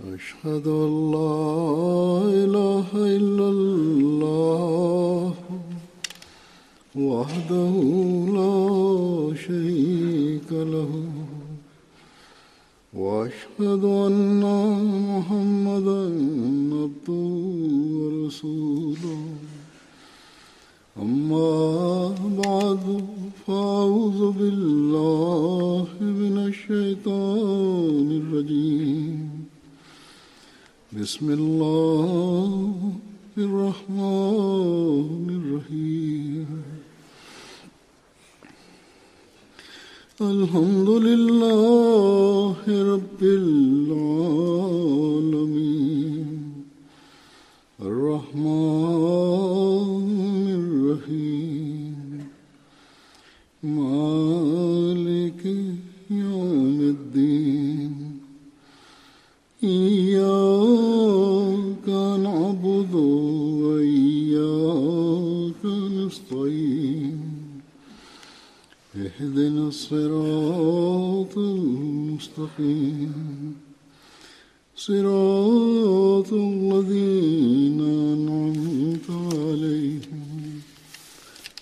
أشهد أن لا إله إلا الله وحده لا شريك له وأشهد أن محمدا عبده ورسوله أما بعد فأعوذ بالله من الشيطان الرجيم بسم الله الرحمن الرحيم الحمد لله رب العالمين الرحمن الرحيم مالك يوم الدين إياك نعبد وإياك نستعين اهدنا الصراط المستقيم صراط الذين أنعمت عليهم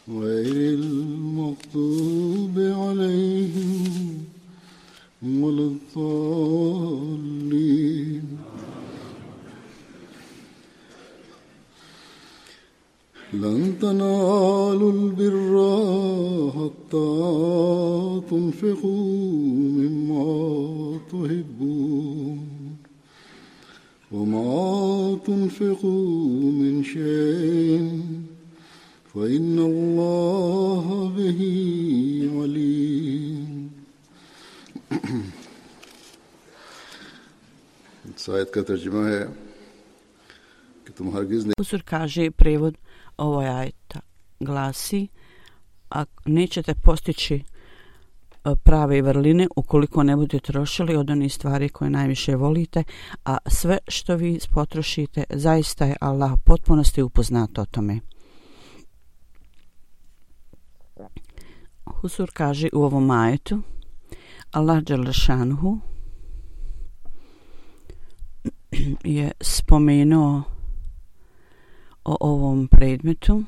غير المغضوب عليهم ولا الضالين لن تنالوا البر حتى تنفقوا مما تحبون وما تنفقوا من شيء فإن الله به عليم. आयत का तर्जुमा है कि तुम हरगिज नहीं. Huzur kaže prevod ovog ajeta glasi: a nećete postići prave vrline ukoliko ne budete trošili od onih stvari koje najviše volite, a sve što vi potrošite zaista je Allah potpunosti upoznat o tome. Huzur kaže u ovom ajetu Allah dželle šanuhu je spomenuo o ovom predmetu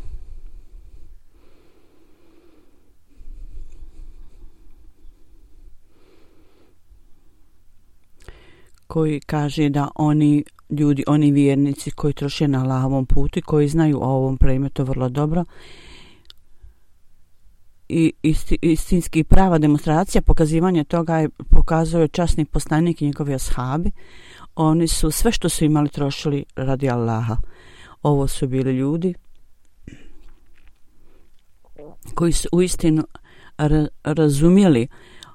koji kaže da oni ljudi, oni vjernici koji troše na Allahovom putu i koji znaju o ovom predmetu vrlo dobro i istinski prava demonstracija pokazivanja toga je pokazuje časni poslanik i njegovi ashabi. Oni su sve što su imali trošili radi Allaha. Ovo su bili ljudi koji su uistinu razumjeli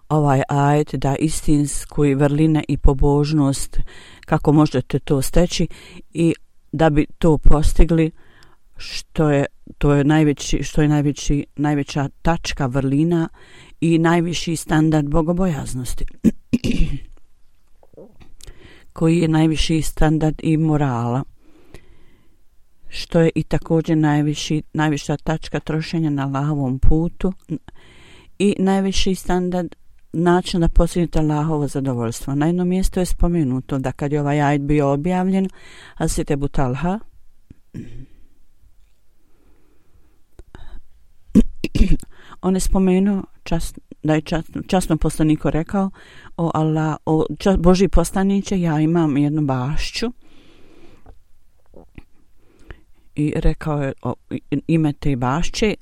ovaj ajet da istinsku vrline i pobožnost kako možete to steći i da bi to postigli najveća tačka vrlina i najviši standard bogobojaznosti koji je najviši standard i morala, što je i također najviša tačka trošenja na Allahovom putu i najviši standard način da postignete Allahovo zadovoljstvo. Na jednom mjestu je spomenuto da kad je ovaj ajet bio objavljen, Hazret Ebu Talha on je spomenuo da je časno poslaniku rekao: o Allah, Božji poslaniče, ja imam jednu bašću, i rekao je ime te bašće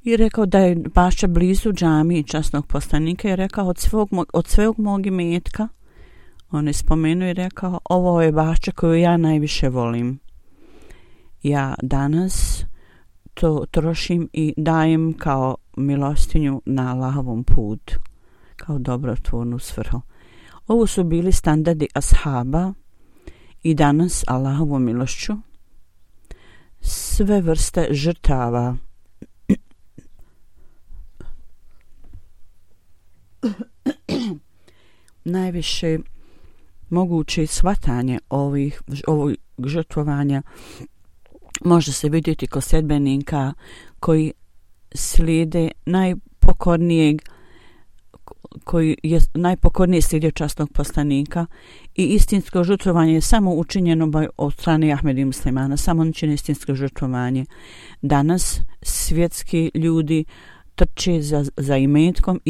i rekao da je bašća blizu džamije časnog poslanika i rekao od svog mog imetka. On je spomenuo i rekao: ovo je bašća koju ja najviše volim. Ja danas to trošim i dajem kao milostinju na Allahovom putu, kao dobrotvornu svrhu. Ovo su bili standardi ashaba i danas Allahovom milošću sve vrste žrtava najviše moguće shvatanje ovog žrtvovanja može se vidjeti kod sljedbenika koji slijede najpokornijeg koji je najpokorniji slijedio časnog poslanika i istinsko žrtvovanje je samo učinjeno od strane Ahmedi muslimana, samo on čini istinsko žrtvovanje. Danas svjetski ljudi trče za imetkom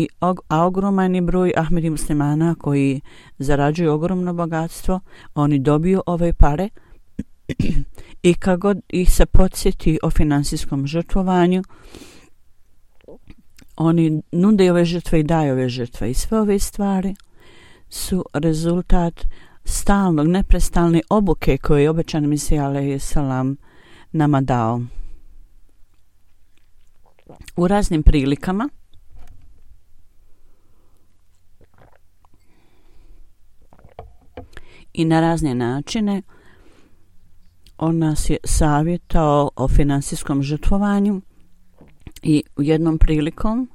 a ogroman je broj Ahmedi muslimana koji zarađuju ogromno bogatstvo, oni dobiju ove pare i kad god ih se podsjeti o finansijskom žrtvovanju, oni nude ove žrtve i daju ove žrtve i sve ove stvari su rezultat stalnog, neprestalne obuke koje je obećan Mesija alejhi selam nama dao. U raznim prilikama i na razne načine on nas je savjetao o finansijskom žrtvovanju i u jednom prilikom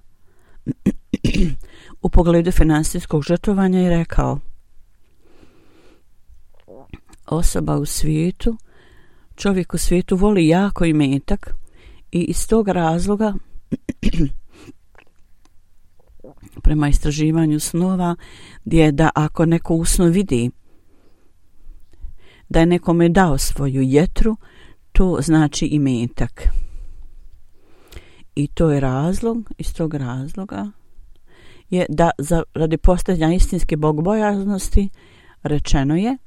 u pogledu finansijskog žrtvovanja je rekao: osoba u svijetu, čovjek u svijetu voli jako imetak i iz tog razloga prema istraživanju snova je da ako neko u snu vidi da je nekome dao svoju jetru, to znači imetak. I to je razlog, iz tog razloga je da radi postizanja istinske bogobojaznosti rečeno je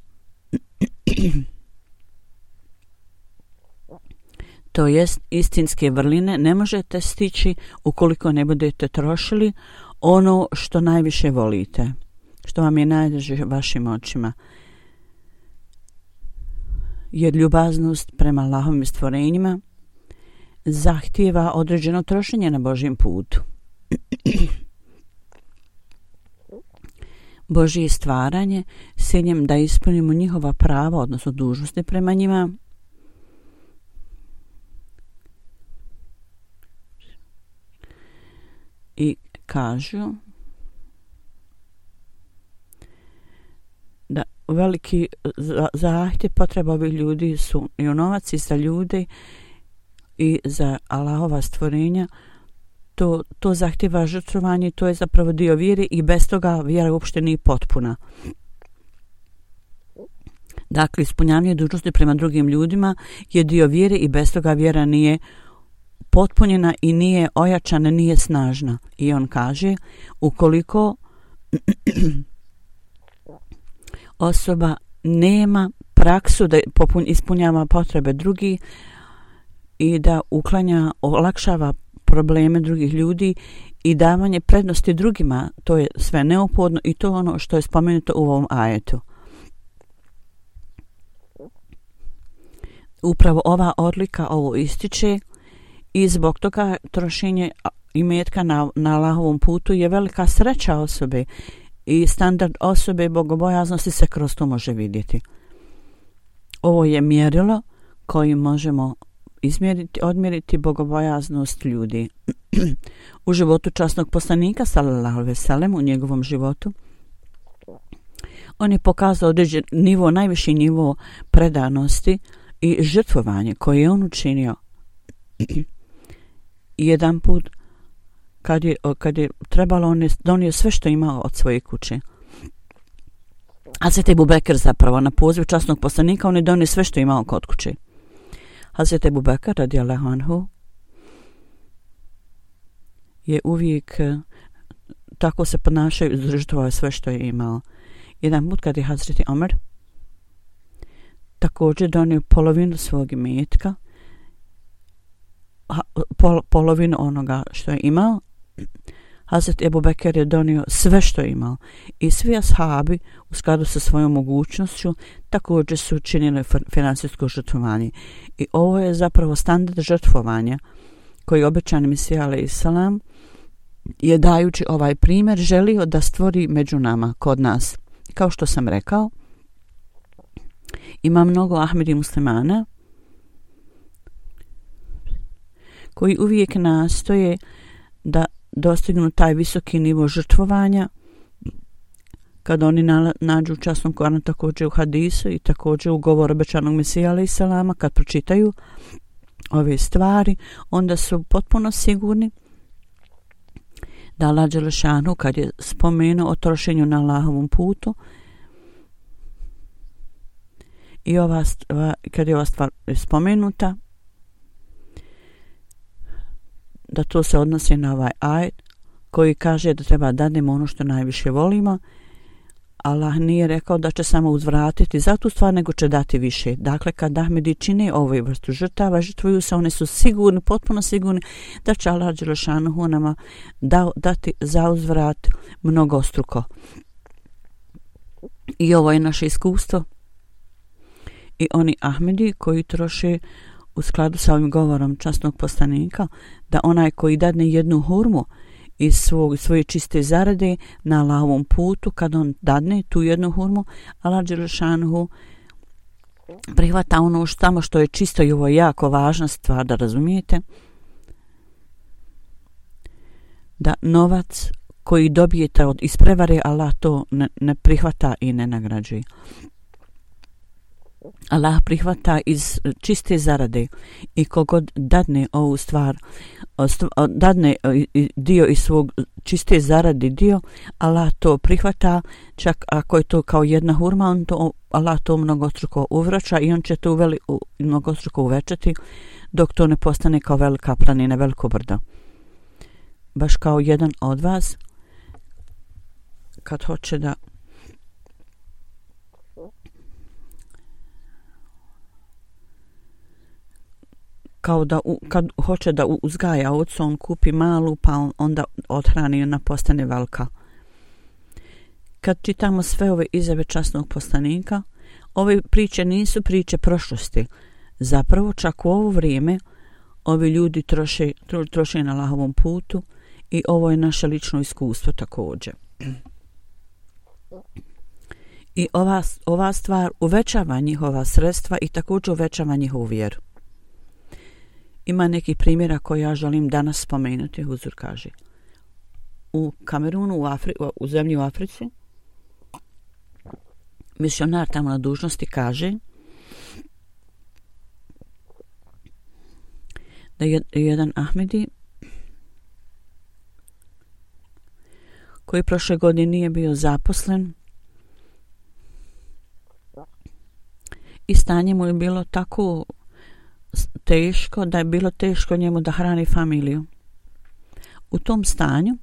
to jest istinske vrline ne možete stići ukoliko ne budete trošili ono što najviše volite, što vam je najdraže vašim očima. Jer ljubaznost prema Allahovim stvorenjima zahtijeva određeno trošenje na Božjem putu. Božje stvaranje s ciljem da ispunimo njihova prava, odnosno dužnosti prema njima, i kažu da veliki zahtjev potreba ovih ljudi su i u novac i za ljude i za Allahova stvorenja. To zahtjeva žrtvovanje, to je zapravo dio vjere i bez toga vjera uopšte nije potpuna. Dakle, ispunjavanje dužnosti prema drugim ljudima je dio vjere i bez toga vjera nije potpunjena i nije ojačana, nije snažna. I on kaže, ukoliko osoba nema praksu da ispunjava potrebe drugih i da olakšava probleme drugih ljudi i davanje prednosti drugima, to je sve neophodno i to je ono što je spomenuto u ovom ajetu. Upravo ova odlika ovo ističe i zbog toga trošenje imetka na Allahovom putu je velika sreća osobe i standard osobe bogobojaznosti se kroz to može vidjeti. Ovo je mjerilo kojim možemo odmjeriti bogobojaznost ljudi. U životu časnog poslanika sallallahu alejhi ve sellem, u njegovom životu, on je pokazao određen nivo, najviši nivo predanosti i žrtvovanje koje je on učinio. Jedan put kad je trebalo, on je donio sve što imao od svoje kuće. Hazret Ebu Bekr zapravo na poziv časnog poslanika on je donio sve što je imao kod kuće. Hazret Ebu Bekr radijallahu anhu je uvijek tako se ponašao, žrtvovao sve što je imao. Jedan put kad je Hazret Omer također donio polovinu svog imetka, polovinu onoga što je imao, Hazret Ebu Bekr je donio sve što je imao i svi ashabi u skladu sa svojom mogućnošću također su činili finansijsko žrtvovanje. I ovo je zapravo standard žrtvovanja koji obećani Mesija alejhi selam je dajući ovaj primjer želio da stvori među nama, kod nas. Kao što sam rekao, ima mnogo Ahmedi muslimana koji uvijek nastoje da dostignu taj visoki nivo žrtvovanja kad oni nađu u časnom Koranu, također u hadisu i također u govoru obećanog Mesija alejhi selama, kad pročitaju ove stvari, onda su potpuno sigurni da Allah dželešanu kad je spomenuo o trošenju na Allahovom putu i kad je ova stvar spomenuta, da to se odnosi na ovaj ajet koji kaže da treba dadnemo ono što najviše volimo. Allah nije rekao da će samo uzvratiti za tu stvar, nego će dati više. Dakle, kad Ahmedi čine ovu vrstu žrtava, žrtvuju se, one su sigurni, potpuno sigurni da će Allah dželešanu nama dati za uzvrat mnogostruko. I ovo je naše iskustvo. I oni Ahmedi koji troše u skladu sa ovim govorom časnog poslanika, da onaj koji dadne jednu hurmu iz svoje čiste zarade na Allahovom putu, kad on dadne tu jednu hurmu, Allah dželešanu prihvata ono što je čisto, i ovo je jako važna stvar da razumijete, da novac koji dobijete iz prevare, Allah to ne prihvata i ne nagrađuje. Allah prihvata iz čiste zarade, i kogod dadne ovu stvar, dadne dio iz svog čiste zarade dio, Allah to prihvata, čak ako je to kao jedna hurma, Allah to mnogostruko uvraća i on će to mnogostruko uvećati dok to ne postane kao velika planina, veliko brdo. Baš kao jedan od vas kad hoće da kad hoće da uzgaja ovcu, on kupi malu, pa onda odhrani i ona postane velika. Kad čitamo sve ove izjave časnog poslanika, ove priče nisu priče prošlosti. Zapravo, čak u ovo vrijeme ovi ljudi troše na Allahovom putu, i ovo je naše lično iskustvo također. I ova stvar uvećava njihova sredstva i također uvećava njihovu vjeru. Ima nekih primjera koje ja želim danas spomenuti. Huzur kaže, u Kamerunu, u zemlji u Africi, misionar tamo na dužnosti kaže da je jedan Ahmedi koji prošle godine nije bio zaposlen i stanje mu je bilo tako teško da je bilo teško njemu da hrani familiju. U tom stanju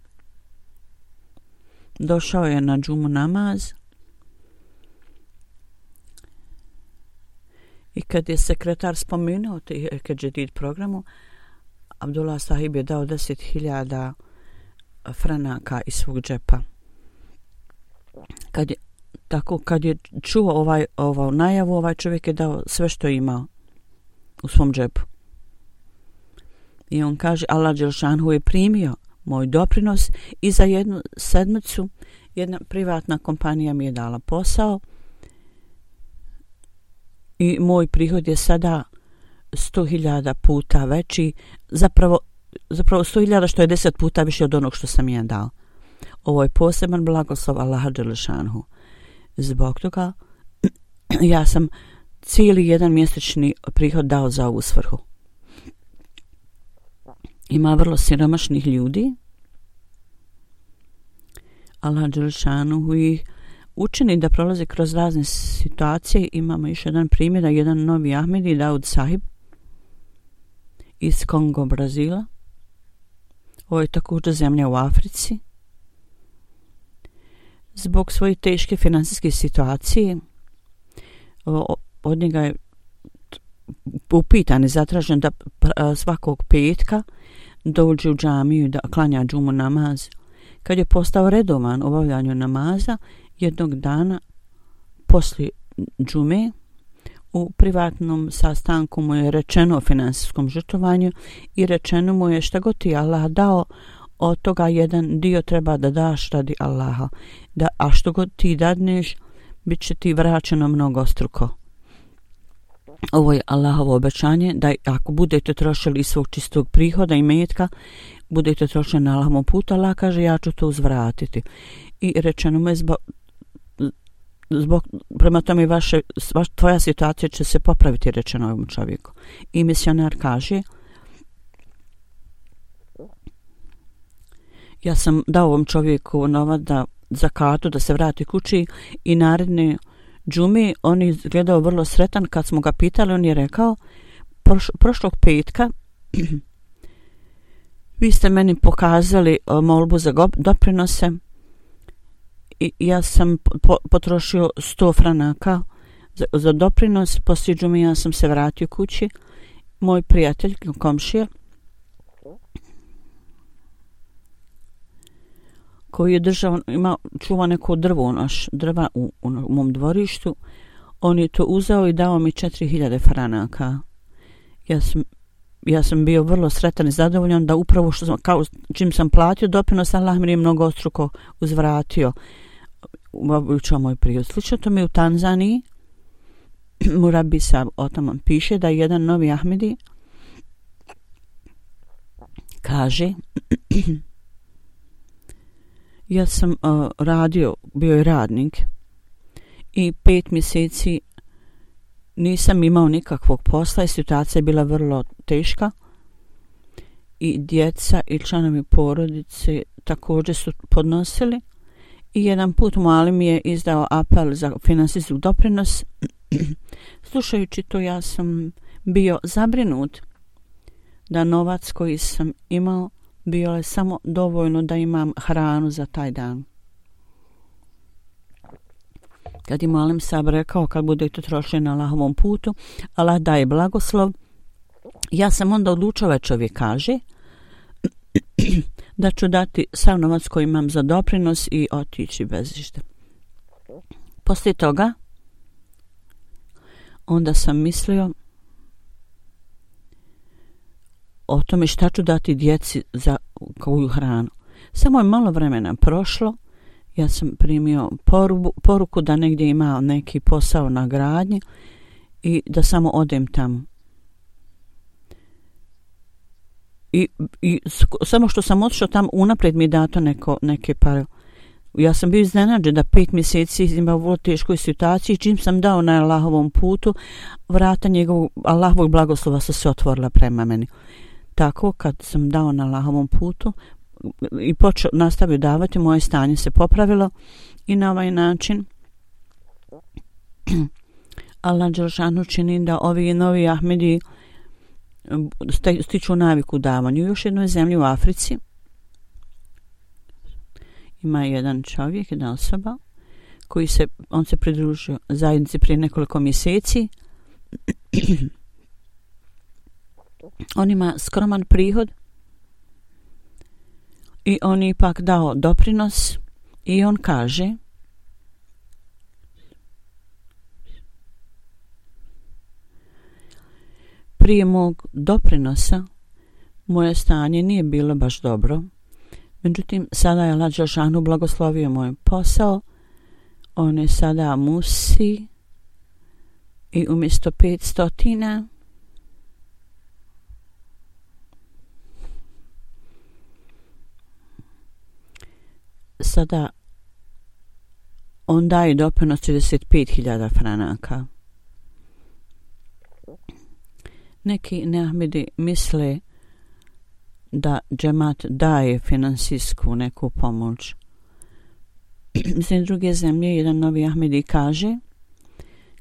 došao je na džumu namaz i kad je sekretar spomenuo Keđedid programu, Abdullah Sahib je dao 10.000 franaka iz svog džepa. Kad je čuo ovu najavu, ovaj čovjek je dao sve što je imao u svom džepu. I on kaže, Allah dželešanu je primio moj doprinos i za jednu sedmicu jedna privatna kompanija mi je dala posao i moj prihod je sada 100.000 puta veći, zapravo 100.000 što je 10 puta više od onog što sam ja dao. Ovo je poseban blagoslov Allaha dželešanu. Zbog toga ja sam cijeli jedan mjesečni prihod dao za ovu svrhu. Ima vrlo siromašnih ljudi. Allah dželešanu ih učini da prolaze kroz razne situacije. Imamo još jedan primjer, da jedan novi Ahmedi, Daud Sahib iz Kongo, Brazila. Ovo je također zemlja u Africi. Zbog svoje teške financijske situacije od njega je upitan i zatražen da svakog petka dođe u džamiju i da klanja džumu namaz. Kad je postao redovan u obavljanju namaza, jednog dana poslije džume u privatnom sastanku mu je rečeno o financijskom žrtvovanju i rečeno mu je šta god ti Allah dao, od toga jedan dio treba da daš radi Allaha, a što god ti dadneš bit će ti vraćeno mnogostruko. Ovo je Allahovo obećanje da ako budete trošili iz svog čistog prihoda i metka, budete trošili na Allahovom putu, Allah kaže ja ću to uzvratiti. I rečeno mu je prema tome tvoja situacija će se popraviti, rečeno ovom čovjeku. I misionar kaže, Ja sam dao ovom čovjeku novac za kartu da se vrati kući i naredne džume on je izgledao vrlo sretan. Kad smo ga pitali, on je rekao prošlog petka vi ste meni pokazali molbu za doprinose i ja sam potrošio 100 franaka za doprinos. Poslije džume ja sam se vratio kući. Moj prijatelj, komšija, koji je čuva neko drva u mom dvorištu, on je to uzeo i dao mi 4000 franaka. Ja sam bio vrlo sretan i zadovoljan da upravo čim sam platio doprinos, Allah mi je mnogostruko uzvratio. Učao moj prijatelj. Slično to mi u Tanzaniji. Murabi Sab o tome piše da jedan novi Ahmedi kaže ja sam bio je radnik i 5 mjeseci nisam imao nikakvog posla i situacija je bila vrlo teška i djeca i članovi porodice također su podnosili i jedan put Mualim mi je izdao apel za finansijski doprinos. Slušajući to ja sam bio zabrinut da novac koji sam imao bio je samo dovoljno da imam hranu za taj dan. Kad je Mualim Sab rekao kad budete trošili na Allahovom putu, Allah daje blagoslov, ja sam onda odlučio, čovjek kaže, da ću dati sav novac koji imam za doprinos i otići bez išta. Poslije toga onda sam mislio o tome šta ću dati djeci za koju hranu. Samo je malo vremena prošlo, ja sam primio poruku da negdje ima neki posao na gradnji i da samo odem tamo. I samo što sam otišao tamo, unaprijed mi je dato neke pare. Ja sam bio iznenađen da 5 mjeseci imao u vrlo teškoj situaciji. Čim sam dao na Allahovom putu, vrata Allahovog blagoslova su se otvorila prema meni. Tako kad sam dao na Allahovom putu i nastavio davati, moje stanje se popravilo i na ovaj način Allah dželešanu čini da ovi novi Ahmedi stiču naviku u davanju. U još jednoj zemlji u Africi ima jedan čovjek, jedna osoba on se pridružio zajednici prije nekoliko mjeseci. On ima skroman prihod i on je ipak dao doprinos i on kaže prije mog doprinosa moje stanje nije bilo baš dobro. Međutim, sada je Allah dželešanu blagoslovio moj posao. On je sada musi i umjesto 500 sada on daje doprinos 35.000 franaka. Neki neahmedi misle da džemat daje finansijsku neku pomoć. Iz druge zemlje jedan novi ahmedi kaže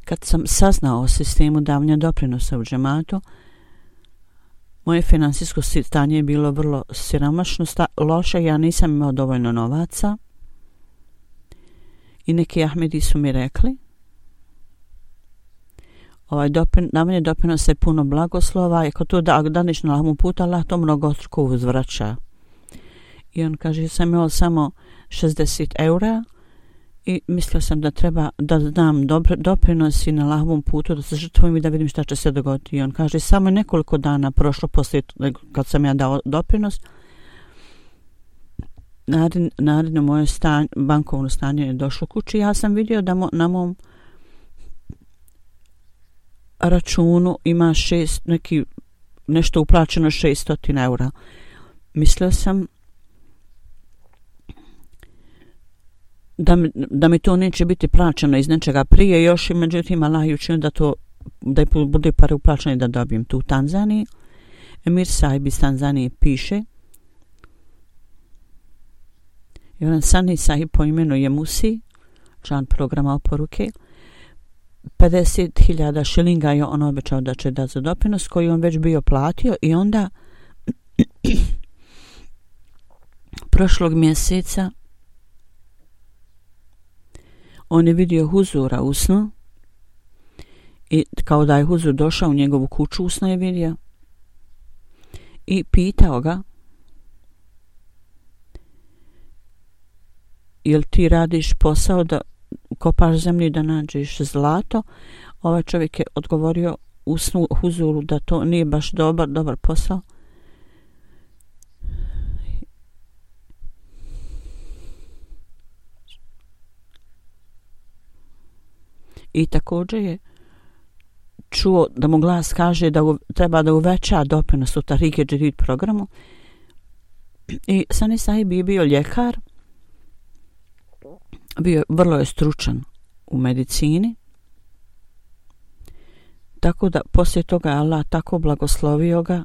kad sam saznao o sistemu davanja doprinosa u džematu, moje finansijsko stanje je bilo vrlo siromašno, loše, ja nisam imao dovoljno novaca i neki ahmedi su mi rekli davanje doprinosa je puno blagoslova i ako to daneš na Allahovom putu, Allah to mnogostruko uzvraća. I on kaže, ja sam imao samo 60 eura i mislio sam da treba da dam doprinos i na Allahovom putu, da se žrtvujem i da vidim šta će se dogoditi. I on kaže, samo nekoliko dana prošlo poslije kad sam ja dao doprinos, naredno moje bankovno stanje je došlo kući. Ja sam vidio da na mom računu ima nešto uplaćeno 600 eura. Mislio sam da mi to neće biti plaćeno iz nečega prije još i međutim Allah je učinio da bude pare uplaćene i da dobijem tu u Tanzaniji. Emir Saib iz Tanzanije piše Jedan Sani Sahib po imenu je Musi, član programa oporuke, 50.000 šilinga je on obećao da će dati za doprinos koji on već bio platio i onda prošlog mjeseca on je vidio Huzura u snu i kao da je Huzur došao u njegovu kuću u snu je vidio i pitao ga jel ti radiš posao da kopaš zemlju da nađeš zlato? Ovaj čovjek je odgovorio u snu Huzuru da to nije baš dobar posao. I također je čuo da mu glas kaže da treba da uveća doprinos u Tahrike Džedid programu. I Sani Sahib je bio ljekar, vrlo je stručan u medicini, tako da poslije toga je Allah tako blagoslovio ga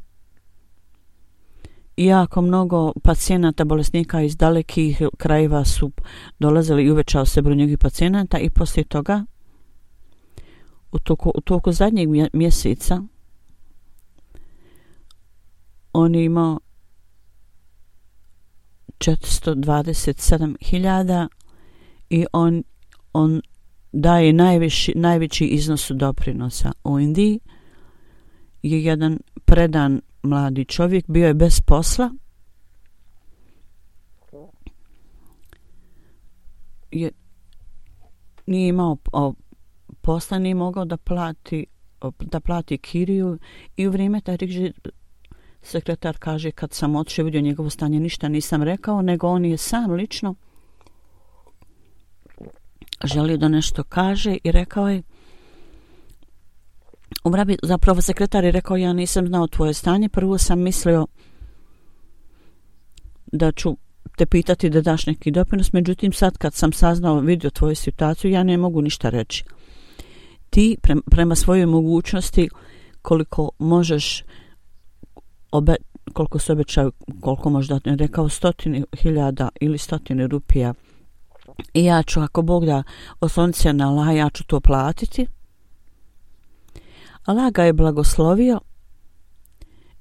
i jako mnogo pacijenata, bolesnika iz dalekih krajeva su dolazili i uvećao se broj njegovih pacijenata i poslije toga u toku zadnjeg mjeseca on je imao 427.000 i on daje najveći iznos doprinosa. U Indiji je jedan predan mladi čovjek, bio je bez posla, nije imao posla, nije mogao da plati kiriju i u vrijeme Tahrike sekretar kaže kad sam otišao vidio njegovo stanje ništa nisam rekao, nego on je sam lično želio da nešto kaže i rekao je zapravo sekretar je rekao ja nisam znao tvoje stanje, prvo sam mislio da ću te pitati da daš neki doprinos, međutim sad kad sam vidio tvoju situaciju ja ne mogu ništa reći. Ti prema svojoj mogućnosti koliko možeš koliko se obećaju, koliko možda rekao 100.000 ili 100 rupija i ja ću ako Bog da oslonit se na Allah, ja ću to platiti. Allah ga je blagoslovio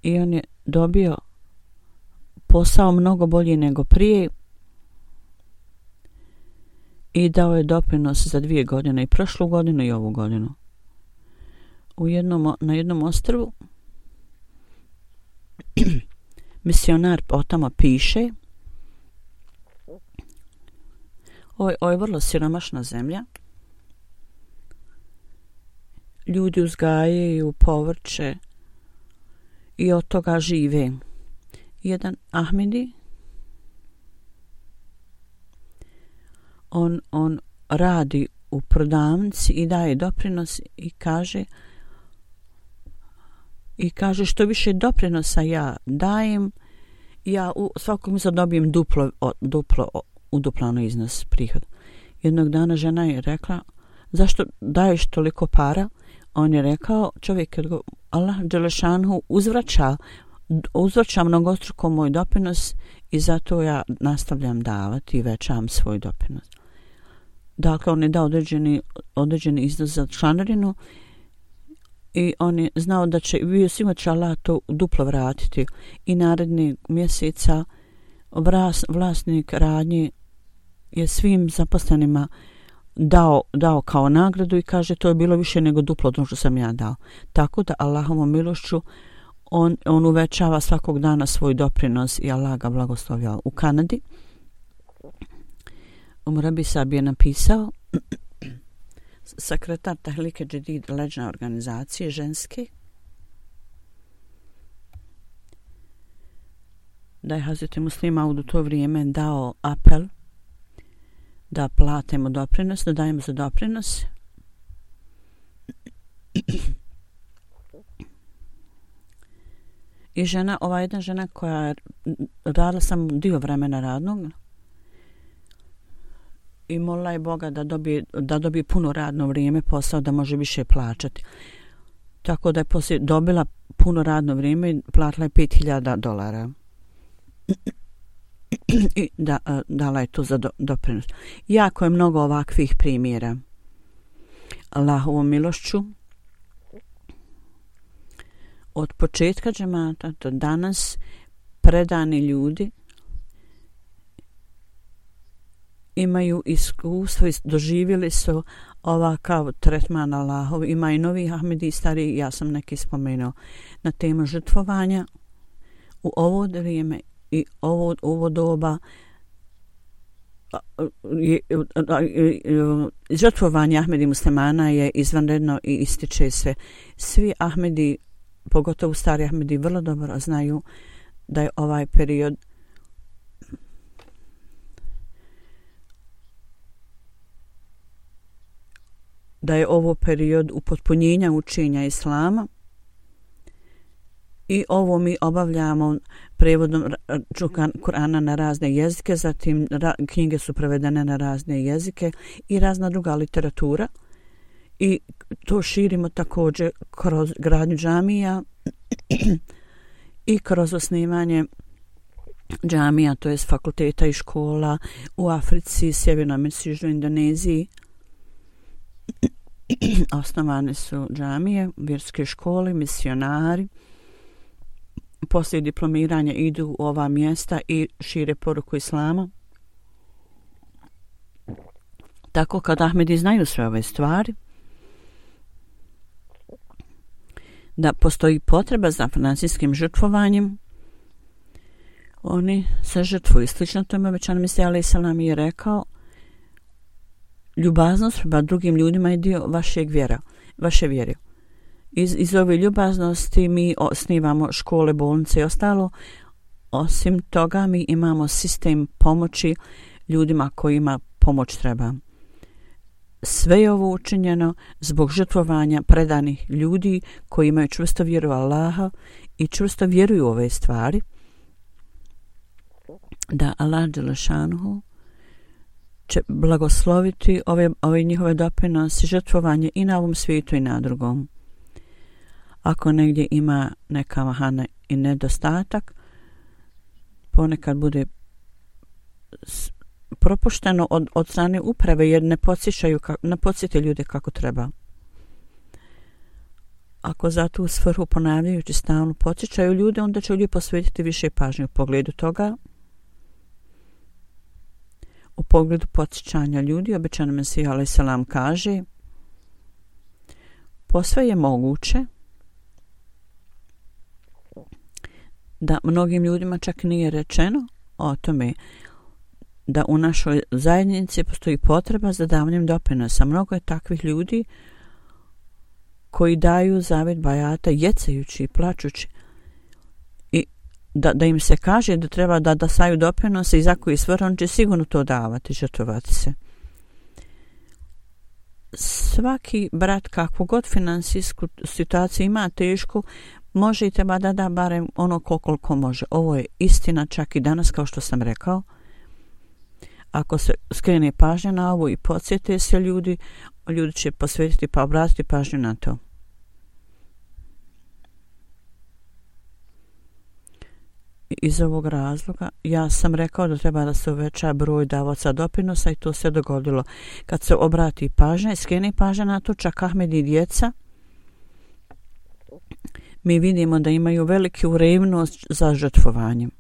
i on je dobio posao mnogo bolji nego prije i dao je doprinos za 2 godine, i prošlu godinu i ovu godinu. Na jednom ostrvu misionar o tamo piše, ovo je vrlo siromašna zemlja, ljudi uzgajaju povrće i od toga žive. Jedan Ahmedi, on radi u prodavnici i daje doprinos i kaže što više doprinosa ja dajem, ja u svakog mjeseca dobijem duplo uduplano iznos prihoda. Jednog dana žena je rekla zašto daješ toliko para? On je rekao, čovjek, Allah dželešanhu uzvraća mnogostruko moj doprinos i zato ja nastavljam davati i većam svoj doprinos. Dakle, on je dao određeni iznos za članarinu i on je znao da će, bio sigurno će Allah to duplo vratiti i narednih mjeseca vlasnik radnje je svim zaposlenima dao kao nagradu i kaže to je bilo više nego duplo od ono što sam ja dao. Tako da Allahovom milošću on uvećava svakog dana svoj doprinos i Allah ga blagoslovio. U Kanadi Rabi Sahib je napisao, sekretar Tahrike Džedid, leđne organizacije ženske, da je Hazreti Muslim Maud u to vrijeme dao apel da platimo doprinos, da dajemo za doprinos. I jedna žena koja je radila sam dio vremena radnog i molila je Boga da dobije puno radno vrijeme, posao da može više plaćati. Tako da je poslije dobila puno radno vrijeme i platila je $5,000. i dala je to za doprinos. Jako je mnogo ovakvih primjera. Allahovom milošću od početka džemata do danas predani ljudi imaju iskustvo i doživjeli su ovakav tretman Allahov. Ima i novi Ahmedi i stari, ja sam neki spomenuo, na temu žrtvovanja u ovo vrijeme i ovo doba. Žrtvovanje Ahmedi muslimana je izvanredno i ističe se. Svi Ahmedi, pogotovo stari Ahmedi, vrlo dobro znaju da je ovaj period ovo period upotpunjenja učenja Islama i ovo mi obavljamo prevodom Kur'ana na razne jezike, zatim knjige su prevedene na razne jezike i razna druga literatura i to širimo također kroz gradnju džamija i kroz osnivanje džamija, to jest fakulteta i škola u Africi, Sjevernoj Americi, Južnoj Indoneziji. Osnovane su džamije, vjerske škole, misionari. Poslije diplomiranja idu u ova mjesta i šire poruku Islama. Tako kad Ahmedi znaju sve ove stvari, da postoji potreba za financijskim žrtvovanjem, oni se žrtvuju. Slično tome obećanom Mesija alejhi selam je rekao: ljubaznost prema drugim ljudima je dio vaše vjere. Iz ove ljubaznosti mi osnivamo škole, bolnice i ostalo. Osim toga mi imamo sistem pomoći ljudima kojima pomoć treba. Sve je ovo učinjeno zbog žrtvovanja predanih ljudi koji imaju čvrsto vjeru u Allaha i čvrsto vjeruju u ove stvari, da Allah dželešanuhu će blagosloviti ove njihove doprinose, žrtvovanje i na ovom svijetu i na drugom. Ako negdje ima neka mahana i nedostatak, ponekad bude propušteno od strane uprave jer ne podsjete ljude kako treba. Ako za tu svrhu ponavljajući stalno podsjećaju ljude, onda će ljudi posvetiti više pažnje u pogledu toga. U pogledu podsjećanja ljudi, obećani Mesija alejhi selam kaže: posve je moguće da mnogim ljudima čak nije rečeno o tome da u našoj zajednici postoji potreba za davanjem doprinosa. Mnogo je takvih ljudi koji daju zavet bajata jecajući i plačući i da im se kaže da treba da daju doprinose i za koji svrh, on će sigurno to davati, žrtvovati se. Svaki brat, kakvu god finansijsku situaciju ima tešku, može i treba da da barem ono koliko može. Ovo je istina čak i danas, kao što sam rekao. Ako se skrene pažnja na ovo i podsjete se ljudi će posvetiti pa obratiti pažnju na to. Iz ovog razloga ja sam rekao da treba da se uveća broj davaca doprinosa i to se dogodilo. Kad se obrati pažnja i skrene pažnja na to, čak Ahmedi i djeca, mi vidimo da imaju veliku revnost za žrtvovanjem.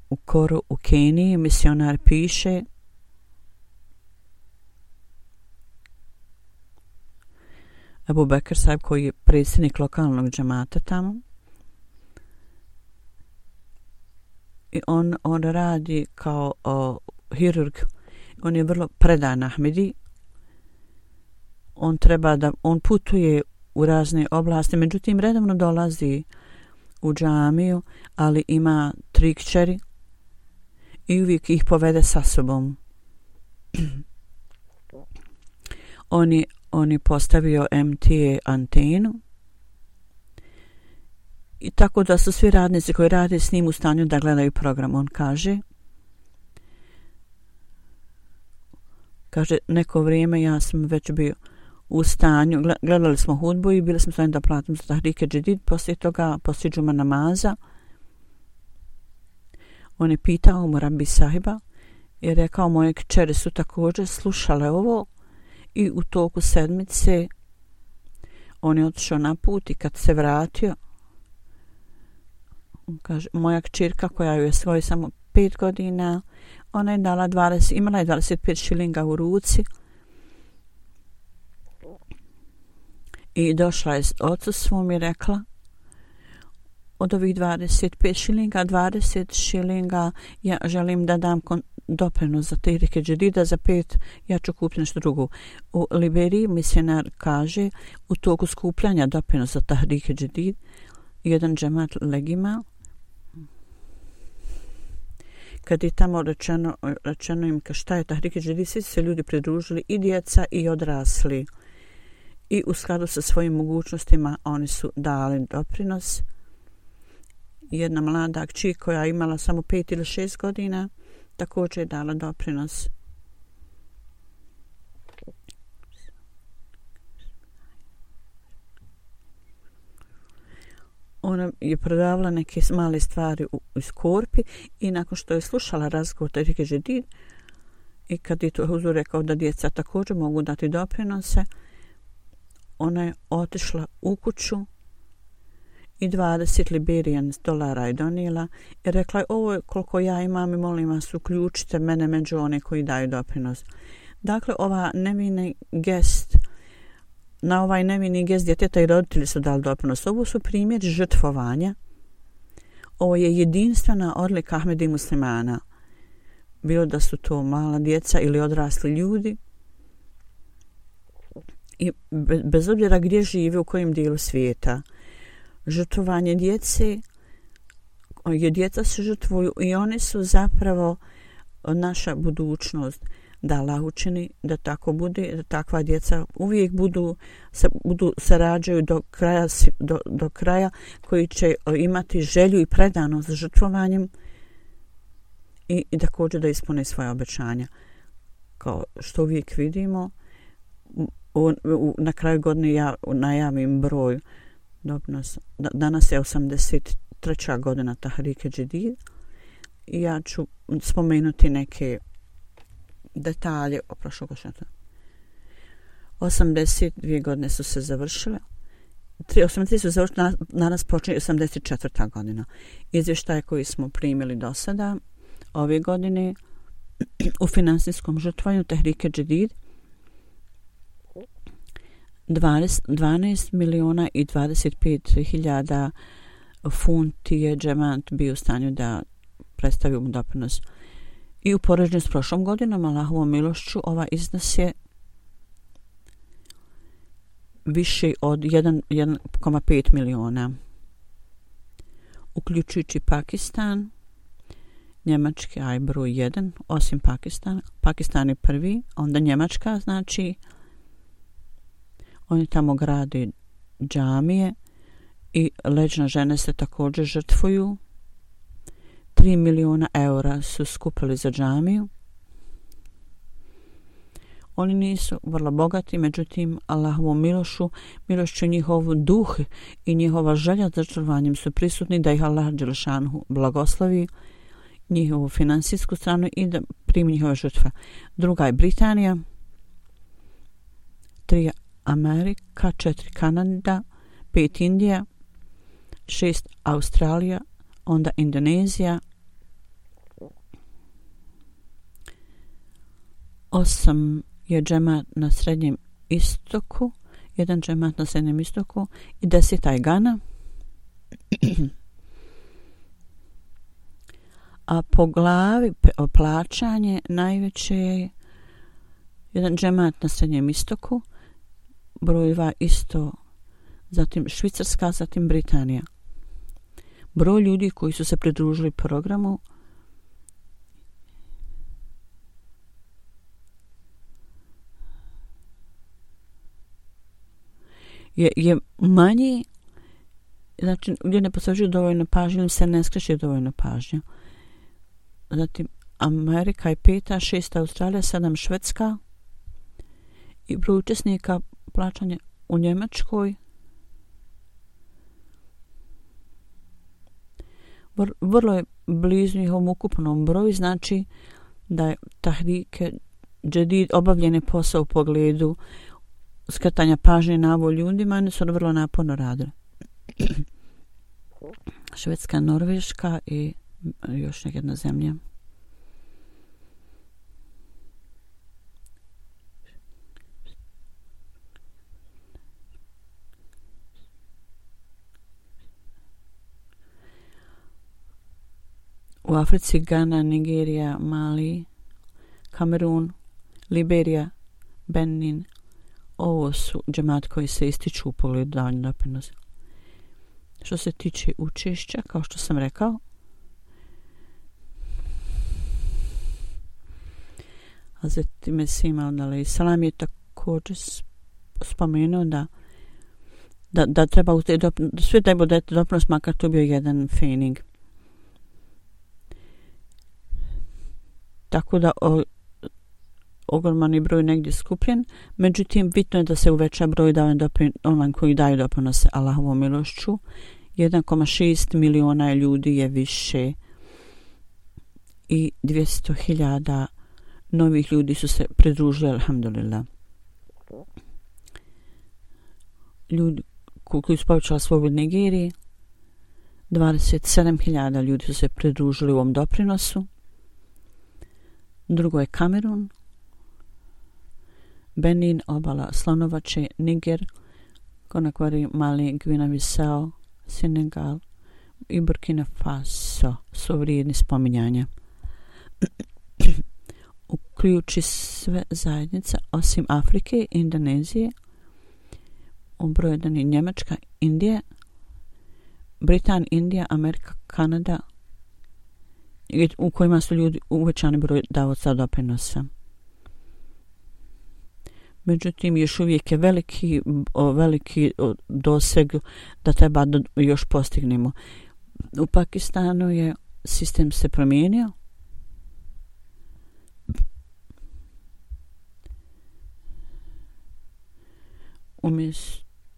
U Koru u Keniji misionar piše: Abu Bekr sahib, koji je predsjednik lokalnog džemata tamo, i on radi kao hirurg. On je vrlo predan Ahmedi. On putuje u razne oblasti, međutim redovno dolazi u džamiju, ali ima 3 kćeri i uvijek ih povede sa sobom. On je postavio MTA antenu i tako da su svi radnici koji rade s njim u stanju da gledaju program. On kaže, neko vrijeme ja sam već bio u stanju, gledali smo hudbu i bili smo stanju da platimo za tahrike džedid, poslije toga, poslije džuma namaza, On je pitao mu Rabbi sahiba i rekao moje kćeri su također slušale ovo i u toku sedmice on je otišao na put i kad se vratio kaže, moja kćerka koja je svoje samo 5 godina, ona je dala imala je 25 šilinga u ruci i došla je ocu svom i rekla od ovih 25 šilinga, 20 šilinga ja želim da dam doprinos za tehrike džedida, za 5 ja ću kupiti nešto drugo. U Liberiji misionar kaže u toku skupljanja doprinosa za tehrike džedid jedan džemat legima kad je tamo rečeno im šta je tehrike džedid, svi se ljudi pridružili i djeca i odrasli i u skladu sa svojim mogućnostima oni su dali doprinos. Jedna mlada kći koja je imala samo 5 ili 6 godina također je dala doprinos. Ona je prodavala neke male stvari iz korpi i nakon što je slušala razgovor tehrike džedid i kad je to huzur rekao da djeca također mogu dati doprinose, ona je otišla u kuću i 20 Liberian dolara je donijela i rekla je ovo je koliko ja imam i molim vas uključite mene među one koji daju doprinos. Dakle, na ovaj nevini gest djeteta i roditelji su dali doprinos. Ovo su primjeri žrtvovanja. Ovo je jedinstvena odlika Ahmedi muslimana. Bilo da su to mala djeca ili odrasli ljudi. I bez obzira gdje žive, u kojem dijelu svijeta. Žrtvovanje djece, djeca se žrtvuju i oni su zapravo naša budućnost. Da Allah učini da tako bude, da takva djeca uvijek se rađaju do kraja koji će imati želju i predanost za žrtvovanjem i također da ispune svoje obećanja. Kao što uvijek vidimo, na kraju godine ja najavim broj doprinosa. Danas je 83. godina Tahrike džedid i ja ću spomenuti neke detalje o prošlogodišnjoj. 82 godine su se završile. 83 su završile, danas počinje 84. godina. Izvještaje koji smo primili do sada ove godine u finansijskom žrtvovanju Tahrike džedid 12 miliona i 25 hiljada funti je džemat bio u stanju da predstavi mu doprinos. I u poređenju s prošlom godinom, Allahovom milošću, ova iznos je više od 1,5 miliona. Uključujući Pakistan, Njemački je broj 1, osim Pakistana. Pakistan je prvi, onda Njemačka, znači oni tamo grade džamije i leđne žene se također žrtvuju. 3 miliona eura su skupili za džamiju. Oni nisu vrlo bogati, međutim Allahovom milošću njihov duh i njihova želja za žrtvovanjem su prisutni da ih Allah dželešanhu blagoslovi njihovu finansijsku stranu i da primi njihove žrtve. Druga je Britanija, 3 Amerika, 4 Kanada, 5 Indija, 6 Australija, onda Indonezija, 8 je džemat na Srednjem istoku, 1 džemat na Srednjem istoku i 10 je Gana. A po glavi plaćanje najveće je 1 džemat na Srednjem istoku, broj 2 isto, zatim Švicarska, zatim Britanija. Broj ljudi koji su se pridružili programu je manji, znači gdje ne posvećuju dovoljno pažnje ili se ne skreće dovoljno pažnje. Zatim Amerika je 5, 6 Australija, 7 Švedska i broj učesnika plaćanja u Njemačkoj vrlo je blizu njihovom ukupnom broju, znači da je Tahrike Džedid obavljeni posao u pogledu skretanja pažnje na ovo ljudima, oni su vrlo naporno radili. Švedska, Norveška i još jedna zemlja. U Africi Gana, Nigerija, Mali, Kamerun, Liberija, Benin. Ovo su džemati koji se ističu u pogledu davanja doprinosa. Što se tiče učešća, kao što sam rekao, Hazreti Mesih Maud alejselam je također spomenuo da treba sve da bude doprinos, makar to bio jedan fening. Tako da ogroman je broj negdje skupljen, međutim bitno je da se uveća broj onih koji daju doprinose Allahovom milošću. 1,6 miliona ljudi je više i 200.000 novih ljudi su se pridružili, alhamdulillah. Ljudi koji su povećali svoj u Nigeriji, 27.000 ljudi su se pridružili u ovom doprinosu. Drugo je Kamerun, Benin, obala Slonovače, Niger, Konakvari, Mali, Gvina-Bisao, Senegal i Burkina Faso su vrijedni spominjanja. Uključi sve zajednice osim Afrike i Indonezije. U broj 1 je Njemačka, Indija, Britan, Indija, Amerika, Kanada, u kojima su ljudi uvećani broj davaoca doprinosa. Međutim, još uvijek je veliki doseg da treba da još postignemo. U Pakistanu je sistem se promijenio.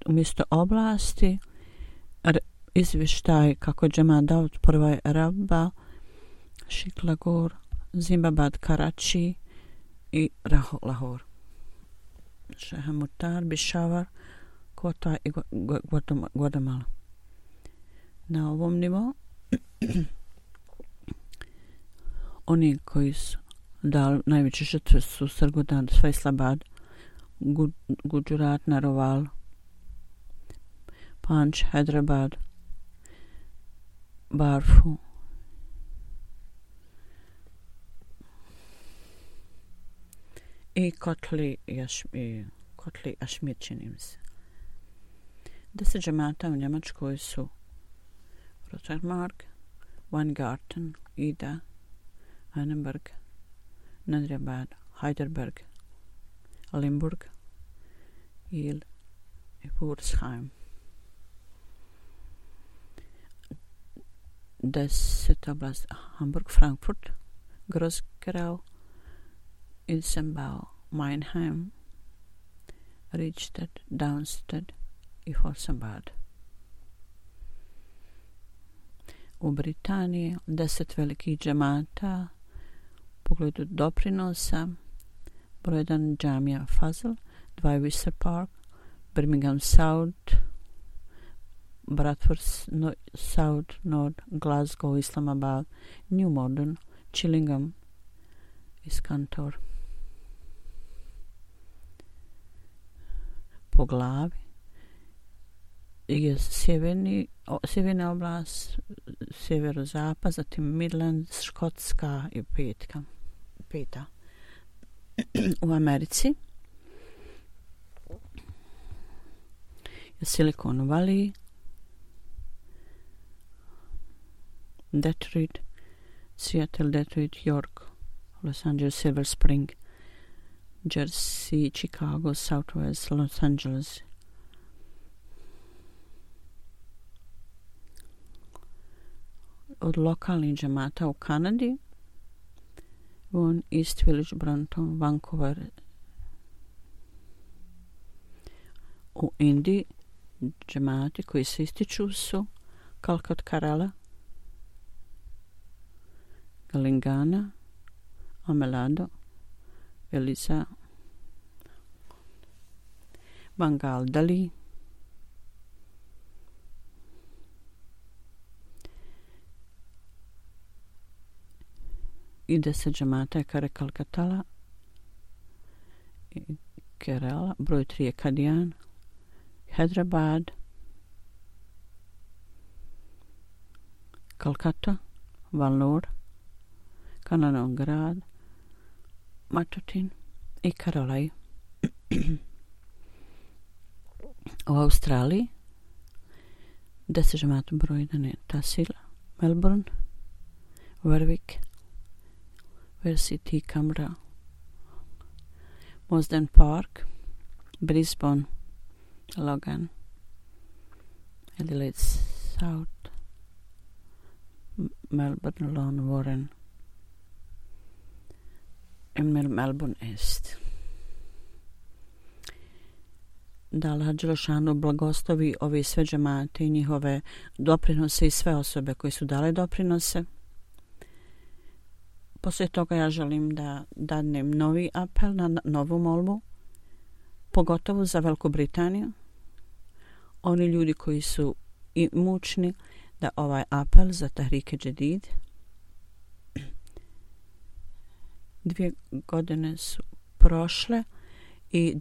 Umjesto oblasti, izvještaj kako je džemat Daud prva je Rabba, Šiklagor, Zimbabad, Karači i Lahore. Šehamutar, Bišavar, Kota i Guatemala. Na ovom nivou oni koji su dali najveće žrtve su Sargodha, Faisalabad, Gujarat, Naroval, Panch, Hyderabad, Barfu, i Kotli Ašmir, čini mi se. 10 džemata u Njemačkoj su Rotermark, Weingarten, Ida, Annenberg, Nadrjabad, Heidelberg, Limburg, Il i Wurzheim. 10 oblast Hamburg, Frankfurt, Groß-Gerau, Ilsenbau, Meinheim, Riedstedt, Darmstadt i Horsabad. U Britaniji 10 velikih džemata u pogledu doprinosa. Broj 1 Džamija Fazl, 2 Windsor Park, Birmingham South, Bradford South, North, Glasgow, Islamabad, New Modern, Chillingham i Skantor. Po glavi je sjeverna oblast, sjeverozapad, zatim Midlands, Škotska i peta. U Americi je Silicon Valley, Detroit, Seattle, Detroit, York, Los Angeles, Silver Spring, Jersey, Chicago, Southwest, Los Angeles. Od lokalnih džemata u Kanadi, Vaughan, East Village, Brampton, Vancouver. U Indiji džemati koji se ističu su Calcutta, Kerala, Galingana, Amelado, Elisa, Bangal Dali, i 10 džemata je Kare Kalkatala, Kerala, broj 3 je Kadian, Hyderabad, Kolkata, Valnor, Kananongrad, Matutin i Karolaj. U Australiji 10 džemata broj 1 je Tahsil, Melbourne, Warwick, Versity, Canberra, Mosden Park, Brisbane, Logan, Adelaide South, Melbourne, Lawn, Warren i Melbourne East. Da Allah Đelešanu blagoslovi ovi sve džemate i njihove doprinose i sve osobe koje su dale doprinose. Poslije toga ja želim da dadnem novi apel na novu molbu, pogotovo za Veliku Britaniju. Oni ljudi koji su imućni, da ovaj apel za Tahrike Džedid. 2 godine su prošle i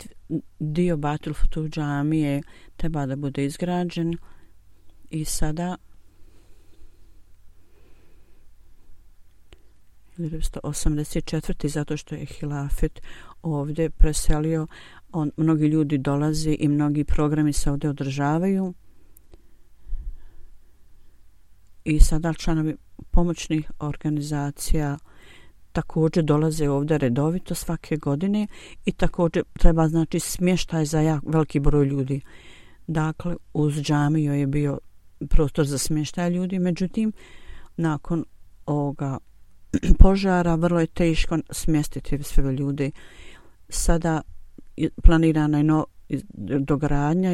dio Batul Futuh džamije treba da bude izgrađen i sada 1984. zato što je hilafet ovdje preselio, mnogi ljudi dolaze i mnogi programi se ovdje održavaju i sada članovi pomoćnih organizacija također dolaze ovdje redovito svake godine i također treba znači smještaj za veliki broj ljudi. Dakle, uz džamiju je bio prostor za smještaj ljudi, međutim, nakon ovoga požara vrlo je teško smjestiti sve ljude. Sada planirana je dogradnja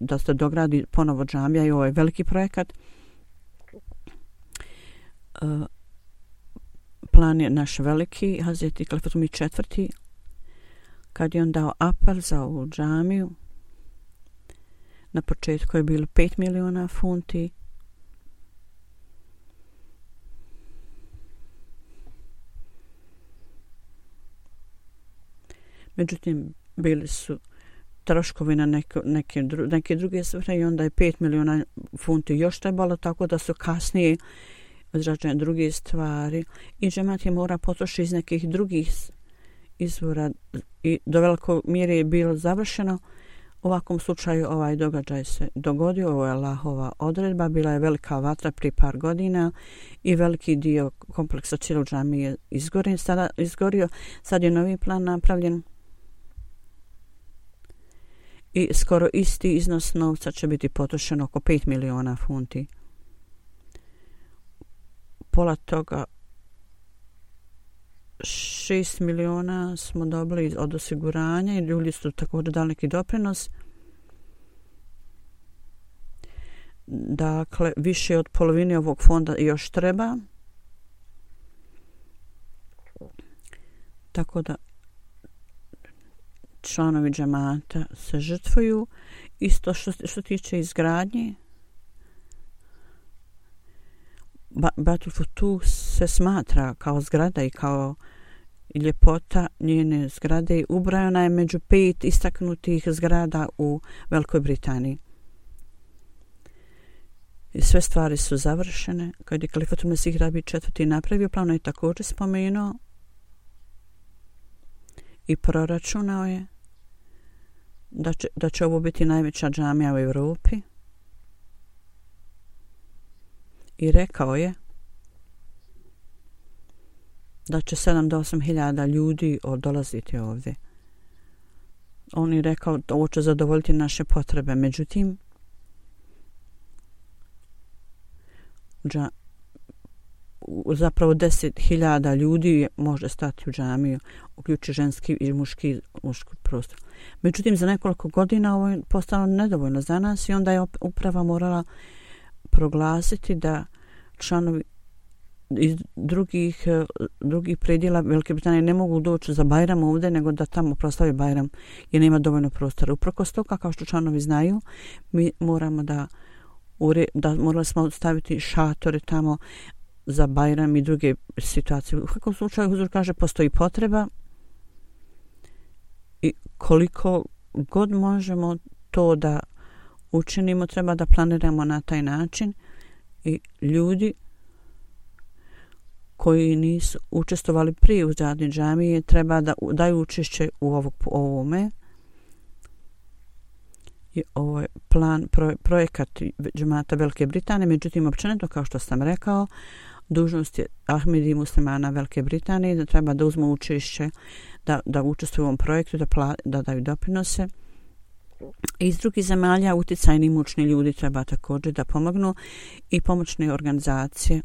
da se dogradi ponovo džamija i ovo je veliki projekat. Plan je naš veliki, Hazreti Kalifatumi IV, kad je on dao apel za ovu džamiju. Na početku je bilo 5 miliona funti. Međutim, bili su troškovi na neke druge svrhe i onda je 5 miliona funti još trebalo, tako da su kasnije izrađene druge stvari i džemat je mora potrošiti iz nekih drugih izvora i do velikog mjere je bilo završeno. U ovakvom slučaju ovaj događaj se dogodio, ovo je Allahova odredba, bila je velika vatra prije par godina i veliki dio kompleksa cijelog džamije je izgorio. Sad je novi plan napravljen i skoro isti iznos novca će biti potrošeno, oko 5 miliona funti. Pola toga 6 miliona smo dobili od osiguranja i ljudi su također dali neki doprinos. Dakle, više od polovine ovog fonda još treba. Tako da članovi džemata se žrtvuju. Isto što tiče izgradnje, Batul Futuh se smatra kao zgrada i kao ljepota njene zgrade. Ubrajana je među 5 istaknutih zgrada u Velikoj Britaniji. I sve stvari su završene. Kad je Kalifatul Mesih Rabi IV napravio plan, je također spomenuo i proračunao je da će ovo biti najveća džamija u Europi. I rekao je da će 7 do 8 hiljada ljudi dolaziti ovdje. On je rekao da ovo će zadovoljiti naše potrebe. Međutim, zapravo 10.000 ljudi može stati u džamiju, uključi ženski i muški prostor. Međutim, za nekoliko godina ovo je postalo nedovoljno za nas i onda je uprava morala proglasiti da članovi iz drugih predjela Velike Britanije ne mogu doći za Bajram ovdje, nego da tamo proslavi Bajram jer nema dovoljno prostora. Uprkos toga, kao što članovi znaju, mi moramo morali smo staviti šatore tamo za Bajram i druge situacije. U svakom slučaju, huzur kaže, postoji potreba i koliko god možemo to da učinimo, treba da planiramo na taj način i ljudi koji nisu učestvovali prije u zadnji džamije treba da daju učešće u ovome. I ovo je projekat džemata Velike Britanije, međutim općenito, kao što sam rekao, dužnost je Ahmedi muslimana Velike Britanije da treba da uzmu učešće, da učestvuju u ovom projektu, da daju doprinose. Iz drugih zemalja utjecajni imućni ljudi treba također da pomognu i pomoćne organizacije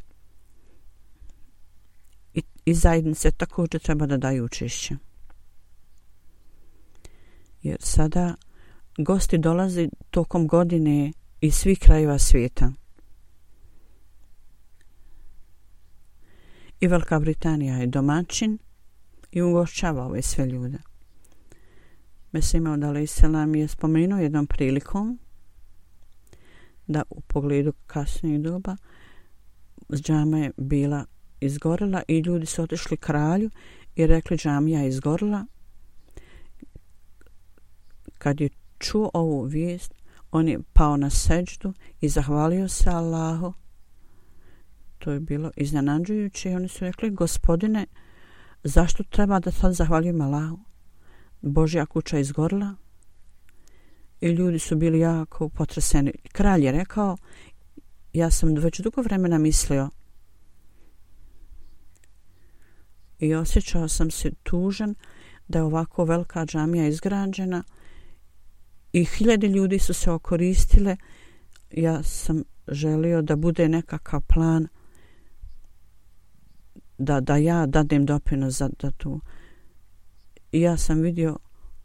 i zajednice također treba da daju učešće. Jer sada gosti dolaze tokom godine iz svih krajeva svijeta. I Velika Britanija je domaćin i ugošćava ove sve ljude. Mesih Maud alejselam je spomenuo jednom prilikom da u pogledu kasnijeg doba džama je bila izgorela i ljudi su otišli kralju i rekli džamija je izgorela. Kad je čuo ovu vijest, on je pao na seđdu i zahvalio se Allahu. To je bilo iznenađujuće i oni su rekli, gospodine, zašto treba da sad zahvaljujem Allahu? Božja kuća je izgorila i ljudi su bili jako potreseni. Kralj je rekao, ja sam već dugo vremena mislio i osjećao sam se tužan da je ovako velika džamija izgrađena i 1000 ljudi su se okoristile. Ja sam želio da bude nekakav plan da ja dadem doprinos za tu. I ja sam vidio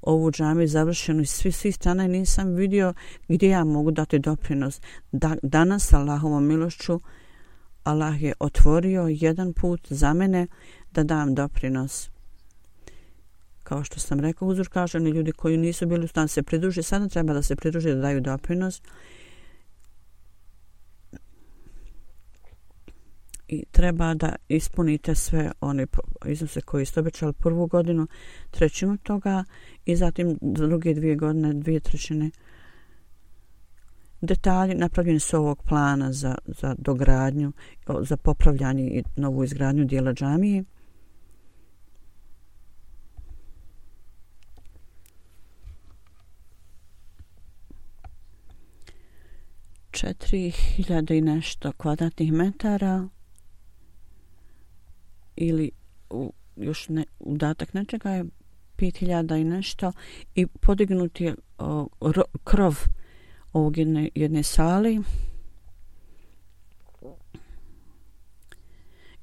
ovu džamiju završenu iz svih strana i nisam vidio gdje ja mogu dati doprinos. Danas, Allahovom milošću, Allah je otvorio jedan put za mene da dam doprinos. Kao što sam rekao, huzur kaže, oni ljudi koji nisu bili u stanju se pridruži, sada treba da se pridruži da daju doprinos. I treba da ispunite sve one iznose koji ste obećali prvu godinu, 1/3 toga i zatim druge 2 godine 2/3. Detalji napravljeni su ovog plana za dogradnju, za popravljanje i novu izgradnju dijela džamije. Četiri 4.000 i nešto kvadratnih metara ili još udatak nečega je 5.000 i nešto i podignut je krov ovog jedne sali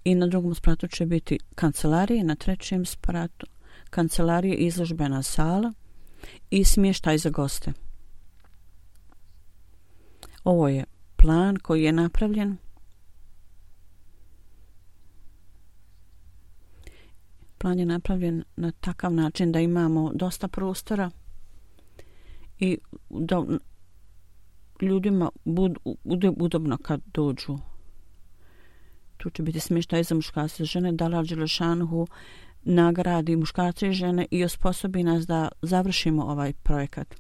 i na drugom spratu će biti kancelarije, na 3. spratu kancelarije, izložbena sala i smještaj za goste. Ovo je plan koji je napravljen. Plan je napravljen na takav način da imamo dosta prostora i da ljudima bude udobno kad dođu. Tu će biti smještaj za muškarce i žene, da Allah dželešanuhu nagradi muškarce i žene i osposobi nas da završimo ovaj projekat.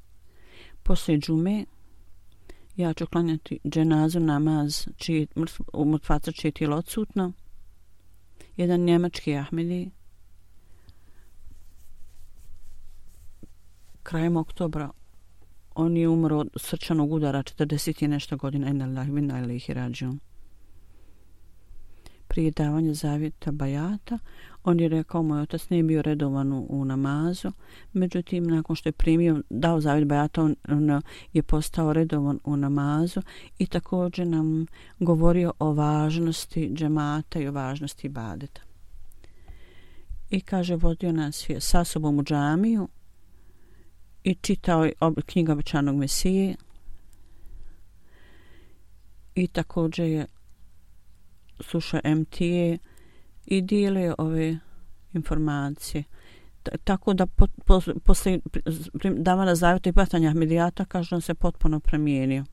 Poslije džume ja ću klanjati dženazu namaz u mrtvaca čije tijelo odsutno. Jedan njemački Ahmedi krajem oktobra on je umro od srčanog udara, 40 i nešto godina. Inna lillahi wa inna ilaihi rađiun. Prije davanja zavjeta bajata on je rekao, moj otac nije bio redovan u namazu, međutim nakon što je dao zavjet bajata on je postao redovan u namazu i također nam govorio o važnosti džemata i o važnosti ibadeta. I kaže, vodio nas je sa sobom u džamiju i čitao je knjigu obećanog Mesije i također je slušao MTA i dijele ove informacije. Tako da posle davanja zavjeta i patanja Ahmedijata, kaže, on se potpuno promijenio.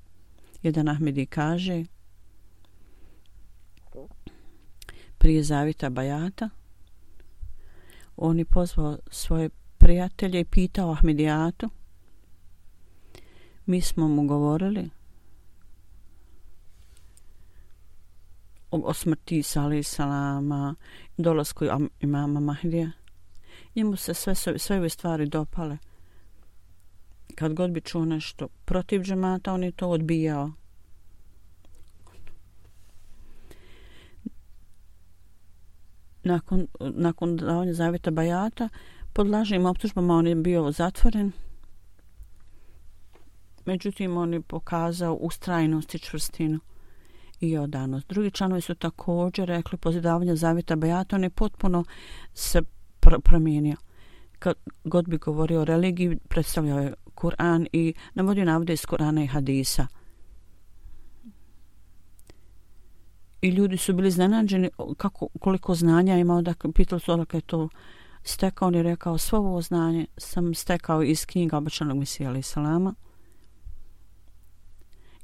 Jedan Ahmedi kaže, prije zavjeta bajata, on je pozvao svoje prijatelje i pitao Ahmedijatu. Mi smo mu govorili o smrti Isa alejhi selama, dolasku imama Mahdija. Njemu se sve ove stvari dopale. Kad god bi čuo nešto protiv džemata, on je to odbijao. Nakon davanja zavjeta bajata, pod lažnim optužbama on je bio zatvoren. Međutim, on je pokazao ustrajnost i čvrstinu i odanost. Drugi članovi su također rekli, poslije davanja zavjeta bajata, on je potpuno se promijenio. Kad god bi govorio o religiji, predstavljao je Kur'an i navodio navode iz Kur'ana i hadisa. I ljudi su bili iznenađeni koliko znanja imao, da pitali su odakle je to stekao. On je rekao, svo ovo znanje sam stekao iz knjiga obećanog Mesija alejhi selama,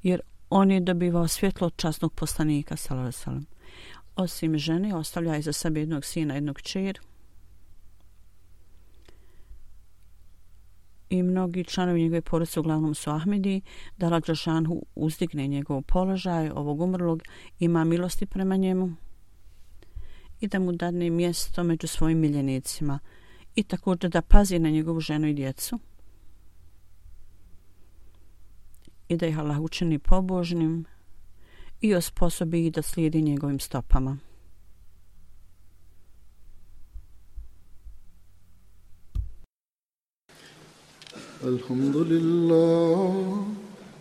jer on je dobivao svjetlo od časnog poslanika sallallahu alejhi ve sellem. Osim žene, ostavlja iza sebe jednog sina, jednog kćer. I mnogi članovi njegove porodice, uglavnom su Ahmedi, da Allah dželešanu uzdigne njegov položaj, ovog umrlog, ima milosti prema njemu i da mu dadne mjesto među svojim miljenicima i također da pazi na njegovu ženu i djecu i da ih Allah učini pobožnim i osposobi ih da slijedi njegovim stopama.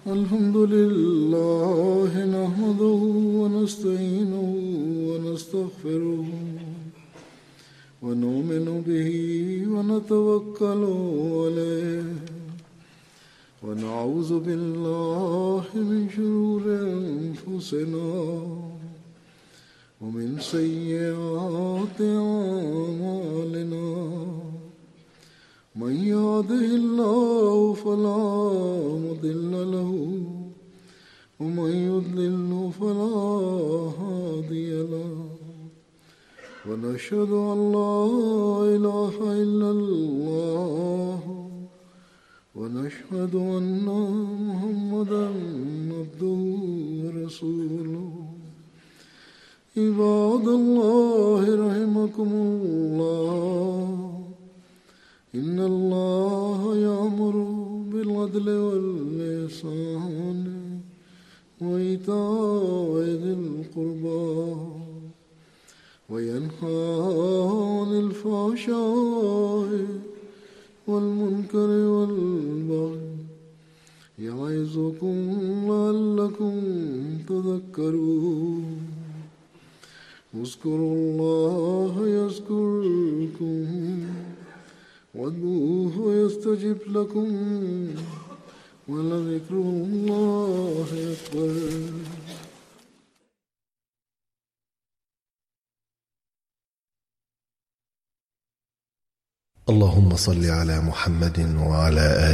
Alhamdulillah, nahmaduhu wa nasta'inuhu wa nastaghfiruhu wa nu'minu bihi wa natawakkalu alayhi wa na'udhu billahi min shururi anfusina wa min sayyiati a'malina. من يهده الله فلا مضل له ومن يضلل فلا هادي له ونشهد أن لا إله إلا الله ونشهد أن محمدا عبده ورسوله. عباد الله رحمكم الله، إن الله يأمر بالعدل والإحسان وإيتاء ذي القربى وينهى عن الفحشاء والمنكر والبغي يعظكم لعلكم تذكرون. اذكروا الله يذكركم وادعوه يستجب لكم ولذكر الله أكبر. اللهم صل على محمد وعلى آله